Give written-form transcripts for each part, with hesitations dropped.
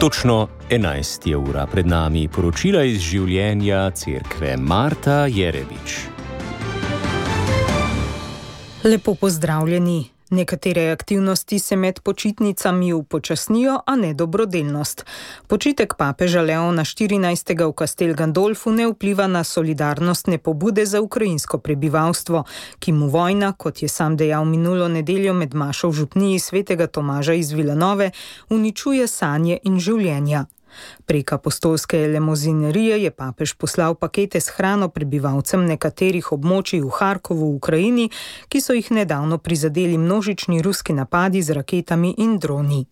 Točno 11 je ura, pred nami poročila iz življenja cerkve. Marta Jerebič. Lepo pozdravljeni. Nekatere aktivnosti se med počitnicami upočasnijo, a ne dobrodelnost. Počitek papeža Leona XIV. V Castel Gandolfu ne vpliva na solidarnostne pobude za ukrajinsko prebivalstvo, ki mu vojna, kot je sam dejal minulo nedeljo med mašo v župniji svetega Tomaža iz Vilanove, uničuje sanje in življenja. Prek apostolske elemozinerije je papež poslal pakete s hrano prebivalcem nekaterih območij v Harkovu v Ukrajini, ki so jih nedavno prizadeli množični ruski napadi z raketami in droni.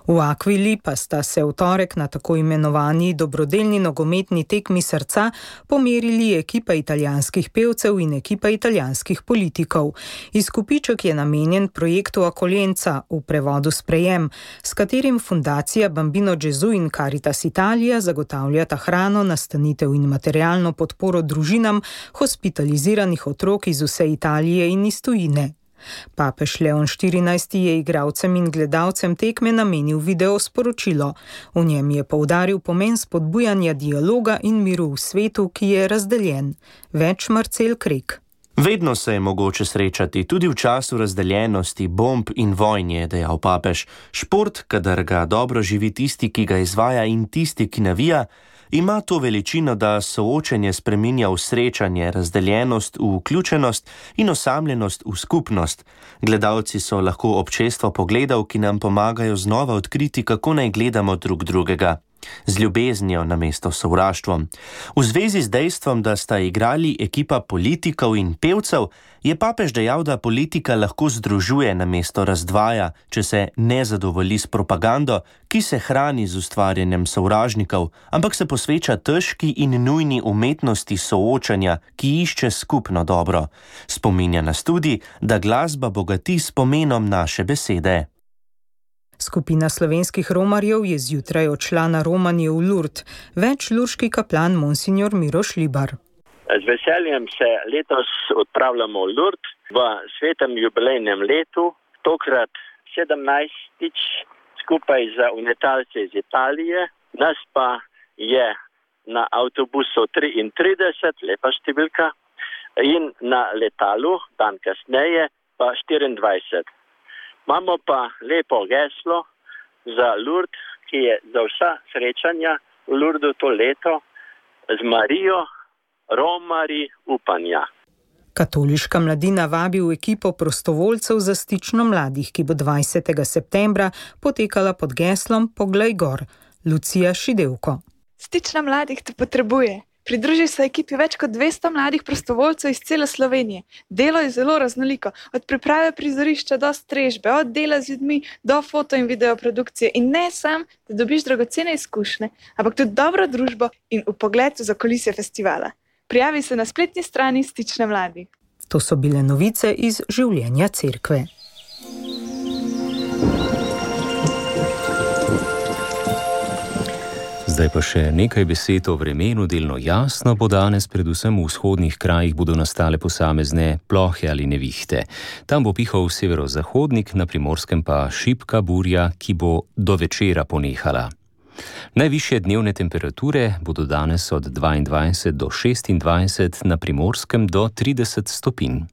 V Aquili pa sta se v torek na tako imenovani dobrodelni nogometni tekmi srca pomerili ekipa italijanskih pevcev in ekipa italijanskih politikov. Izkupiček je namenjen projektu Akoljenca, v prevodu sprejem, s katerim fundacija Bambino Gesù in Caritas Italia zagotavljata hrano, nastanitev in materialno podporo družinam hospitaliziranih otrok iz vse Italije in iz tujine. Papež Leon XIV. Je igralcem in gledalcem tekme namenil video sporočilo. V njem je poudaril pomen spodbujanja dialoga in miru v svetu, ki je razdeljen. Več Marcel Krek. Vedno se je mogoče srečati, tudi v času razdeljenosti, bomb in vojn, je dejal papež. Šport, kadar ga dobro živi tisti, ki ga izvaja, in tisti, ki navija, ima to veličino, da soočenje spreminja v srečanje, razdeljenost v vključenost in osamljenost v skupnost. Gledalci so lahko občestvo pogledov, ki nam pomagajo znova odkriti, kako naj gledamo drug drugega. Z ljubeznijo namesto sovraštvom. V zvezi z dejstvom, da sta igrali ekipa politikov in pevcev, je papež dejal, da politika lahko združuje namesto razdvaja, če se ne zadovolji s propagando, ki se hrani z ustvarjanjem sovražnikov, ampak se posveča težki in nujni umetnosti soočanja, ki išče skupno dobro. Spominja nas tudi, da glasba bogati s pomenom naše besede. Skupina slovenskih romarjev je zjutraj odšla na romanje v Lourdes. Več lurški kaplan monsignor Miroš Libar. Z veseljem se letos odpravljamo v Lourdes v svetem jubilejnem letu, tokrat 17. skupaj z unitalci iz Italije. Nas pa je na avtobusu 33, lepa številka, in na letalu, dan kasneje, pa 24. Imamo pa lepo geslo za Lourdes, ki je za vsa srečanja v Lourdesu to leto z Marijo, romari upanja. Katoliška mladina vabi v ekipo prostovoljcev za stično mladih, ki bo 20. septembra potekala pod geslom Poglej gor. Lucija Šidevko. Stična mladih te potrebuje. Pridruži se ekipi več kot 200 mladih prostovoljcev iz cele Slovenije. Delo je zelo raznoliko, od priprave prizorišča do strežbe, od dela z ljudmi do foto in video produkcije. In ne sam, da dobiš dragocene izkušnje, ampak tudi dobro družbo in vpogled v zakulisje festivala. Prijavi se na spletni strani Stične mladih. To so bile novice iz življenja cerkve. Zdaj pa še nekaj besed o vremenu. Delno jasno bo danes, predvsem v vzhodnih krajih bodo nastale posamezne plohe ali nevihte. Tam bo pihal severozahodnik, na Primorskem pa šibka burja, ki bo do večera ponehala. Najvišje dnevne temperature bodo danes od 22 do 26, na Primorskem do 30 stopinj.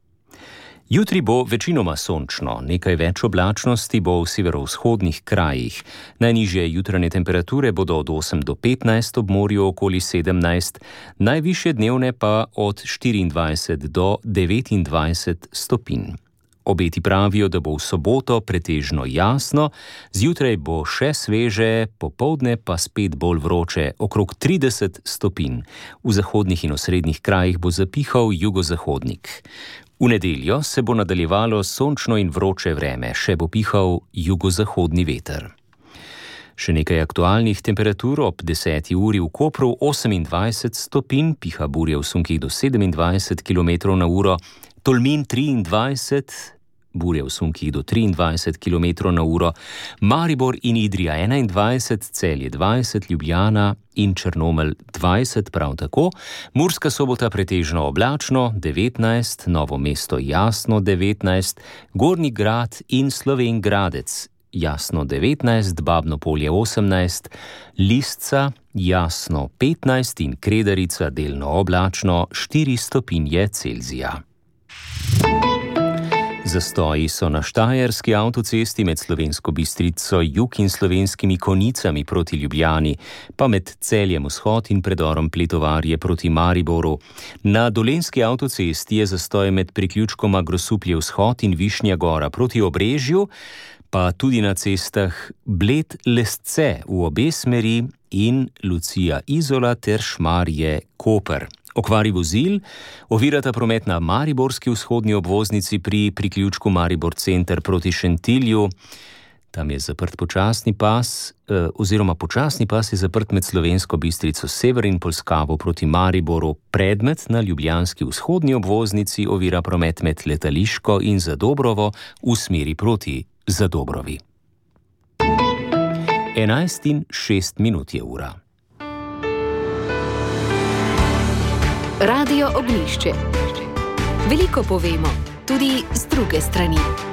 Jutri bo večinoma sončno, nekaj več oblačnosti bo v severovzhodnih krajih. Najnižje jutranje temperature bodo od 8 do 15, ob morju okoli 17, najvišje dnevne pa od 24 do 29 stopinj. Obeti pravijo, da bo v soboto pretežno jasno, zjutraj bo še sveže, popoldne pa spet bolj vroče, okrog 30 stopinj. V zahodnih in osrednjih krajih bo zapihal jugozahodnik. V nedeljo se bo nadaljevalo sončno in vroče vreme, še bo pihal jugozahodni veter. Še nekaj aktualnih temperatur: ob 10. uri v Kopru 28 stopinj, piha burja v sunkih do 27 km/h, Tolmin 23, burja v sunkih do 23 km/h, Maribor in Idrija 21, Celje 20, Ljubljana in Črnomelj 20 prav tako, Murska Sobota pretežno oblačno 19, Novo mesto jasno 19, Gornji Grad in Slovenj Gradec jasno 19, Babno Polje 18, Listca jasno 15 in Kredarica delno oblačno 4 stopinje Celzija. Zastoji so na štajerski avtocesti med Slovensko Bistrico jug in Slovenskimi Konicami proti Ljubljani, pa med Celjem vzhod in predorom Pletovarje proti Mariboru. Na dolenjski avtocesti je zastoj med priključkoma Grosuplje vzhod in Višnja Gora proti Obrežju, pa tudi na cestah Bled-Lesce v obe smeri in Lucija Izola ter Šmarje Koper. Okvari vozil ovirata promet na mariborski vzhodni obvoznici pri priključku Maribor Center proti Šentilju. Tam je zaprt počasni pas je zaprt med Slovensko Bistrico sever in Polskavo proti Mariboru. Predmet na ljubljanski vzhodni obvoznici ovira promet med Letališko in Zadobrovo v smeri proti Zadobrovi. 11:06 je ura. Radio Ognjišče. Veliko povemo, tudi z druge strani.